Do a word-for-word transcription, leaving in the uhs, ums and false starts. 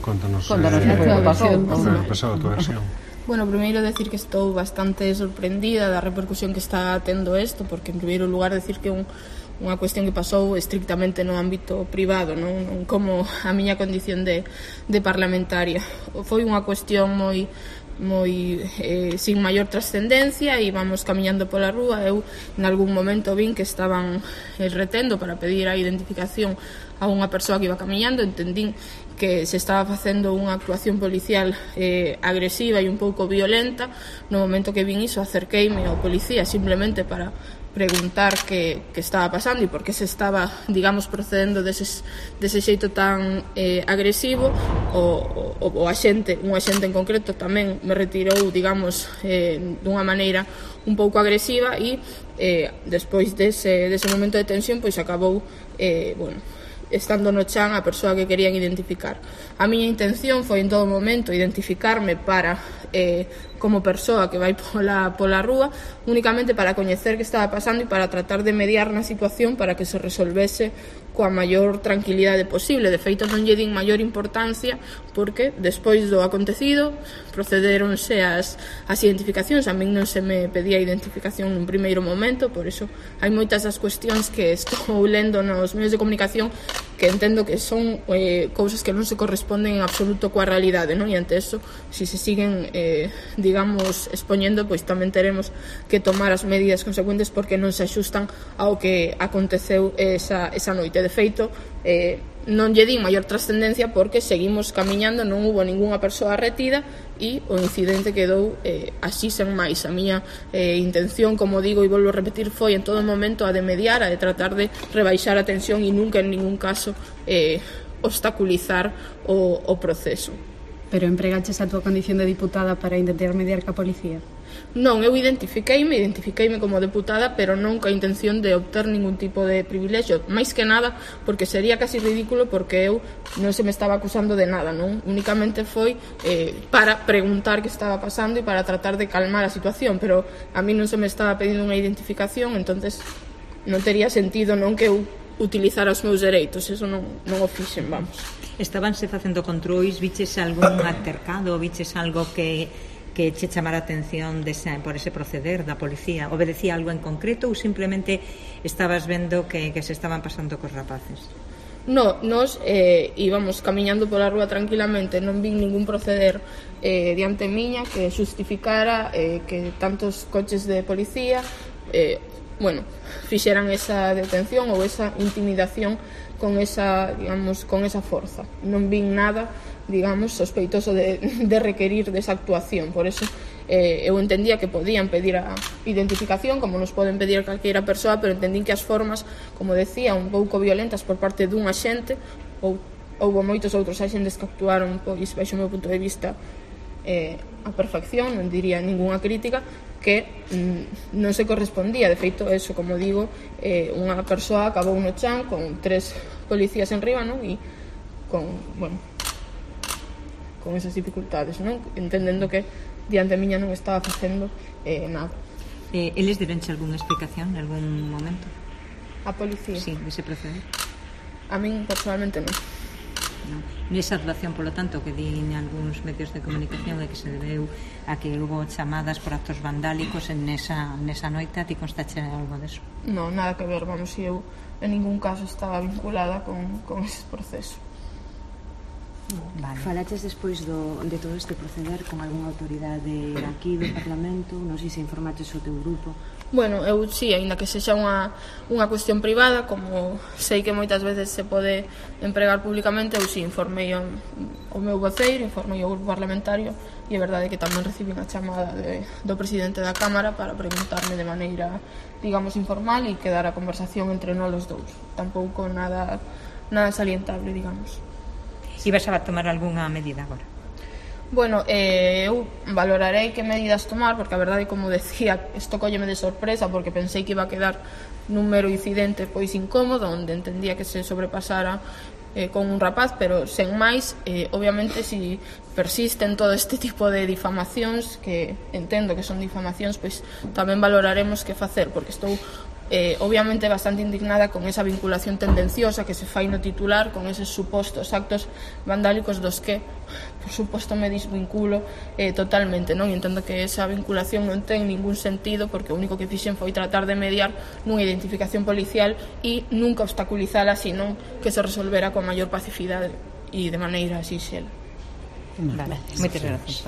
Contanos, Contanos eh, que pasou, como pasou a tua versión. Bueno, primeiro decir que estou bastante sorprendida da repercusión que está tendo isto, porque en primeiro lugar decir que un, unha cuestión que pasou estrictamente no ámbito privado, non, non como a miña condición de, de parlamentaria. Foi unha cuestión moi moi eh, sin maior trascendencia e íbamos camiñando pola rúa. Eu en algún momento vin que estaban eh, retendo para pedir a identificación a unha persoa que iba camiñando. Entendín que se estaba facendo unha actuación policial eh, agresiva e un pouco violenta. No momento que vin iso, acerqueime ao policía simplemente para preguntar que, que estaba pasando e por que se estaba, digamos, procedendo deses, dese xeito tan eh, agresivo. O, o, o axente, un axente en concreto tamén me retirou, digamos, eh, dunha maneira un pouco agresiva e eh, despois dese, dese momento de tensión pois acabou eh, bueno, estando no chan a persoa que querían identificar. A miña intención foi en todo momento identificarme para eh, como persoa que vai pola, pola rúa, únicamente para coñecer que estaba pasando e para tratar de mediar na situación para que se resolvese coa maior tranquilidade posible. De feito, non lle din maior importancia porque despois do acontecido procederonse as, as identificacións. A min non se me pedía identificación nun primeiro momento, por iso hai moitas das cuestións que estou lendo nos medios de comunicación que entendo que son eh, cousas que non se corresponden en absoluto coa realidade, non? E ante eso, se se siguen eh, digamos, expoñendo, pois tamén teremos que tomar as medidas consecuentes porque non se axustan ao que aconteceu esa, esa noite. De feito, eh, non lle din maior trascendencia porque seguimos camiñando, non hubo ningunha persoa retida e o incidente quedou eh, así sen máis. A miña eh, intención, como digo e volvo a repetir, foi en todo momento a de mediar, a de tratar de rebaixar a tensión e nunca en ningún caso eh, obstaculizar o, o proceso. Pero empregaches a túa condición de diputada para intentar mediar ca policía? Non, eu identifiqueime, identifiqueime como deputada, pero non ca intención de obter ningún tipo de privilexio, máis que nada porque sería casi ridículo, porque eu non se me estaba acusando de nada, non? Únicamente foi eh, para preguntar que estaba pasando e para tratar de calmar a situación, pero a mí non se me estaba pedindo unha identificación, entonces non tería sentido non que eu utilizar os meus dereitos, eso non, non o fixen, vamos. Estabanse facendo controis, viches algún altercado, viches algo que, que che chamara a atención desa, por ese proceder da policía? Obedecía algo en concreto ou simplemente estabas vendo que, que se estaban pasando cos rapaces? No, nos eh, íbamos camiñando pola rúa tranquilamente, non vin ningún proceder eh, diante miña que justificara eh, que tantos coches de policía eh, bueno, fixeran esa detención ou esa intimidación con esa, digamos, con esa forza. Non vin nada, digamos, sospeitoso de, de requerir desa actuación. Por eso eh, eu entendía que podían pedir a identificación, como nos poden pedir a calqueira persoa, pero entendín que as formas, como decía, un pouco violentas por parte dun axente, ou houve moitos outros axentes que actuaron, pois, baixo o meu punto de vista, eh, a perfección, non diría ningunha crítica, que mm, non se correspondía. De feito, eso, como digo, eh, unha persoa acabou no chan con tres policías en riba, non? E con, bueno, con esas dificultades, non? Entendendo que diante miña non estaba facendo eh, nada. Eh, eles deronche algunha explicación en algún momento? A policía? Sí, dese proceder. A min, personalmente, non. No. Nesa relación, polo tanto, que din algúns medios de comunicación é que se debeu a que hubo chamadas por actos vandálicos en nesa, nesa noite. A ti constache algo deso? Non, nada que ver, vamos, se eu en ningún caso estaba vinculada con, con ese proceso. Vale. Falaches despois do, de todo este proceder con algunha autoridade aquí do Parlamento? Non sei se informaches o teu grupo. Bueno, eu sí, aínda que sexa unha, unha cuestión privada, como sei que moitas veces se pode empregar públicamente, eu sí informei o, o meu voceiro, informei o grupo parlamentario, e é verdade que tamén recibín a chamada de, do presidente da Cámara para preguntarme de maneira, digamos, informal e quedar a conversación entre nós os dous. Tampouco nada, nada salientable, digamos. Ibas a tomar algunha medida agora? Bueno, eh, eu valorarei que medidas tomar, porque a verdade, como decía, isto colleme de sorpresa, porque pensei que iba a quedar nun mero incidente pois incómodo, onde entendía que se sobrepasara eh, con un rapaz, pero sen máis, eh, obviamente, si persisten todo este tipo de difamacións, que entendo que son difamacións, pois tamén valoraremos que facer, porque estou eh, obviamente bastante indignada con esa vinculación tendenciosa que se fai no titular, con eses supostos actos vandálicos dos que, por suposto, me desvinculo eh, totalmente, non? E entendo que esa vinculación non ten ningún sentido, porque o único que fixen foi tratar de mediar nunha identificación policial e nunca obstaculizala, sino que se resolvera con maior pacificidade e de maneira sinxela. Vale, moitas gracias.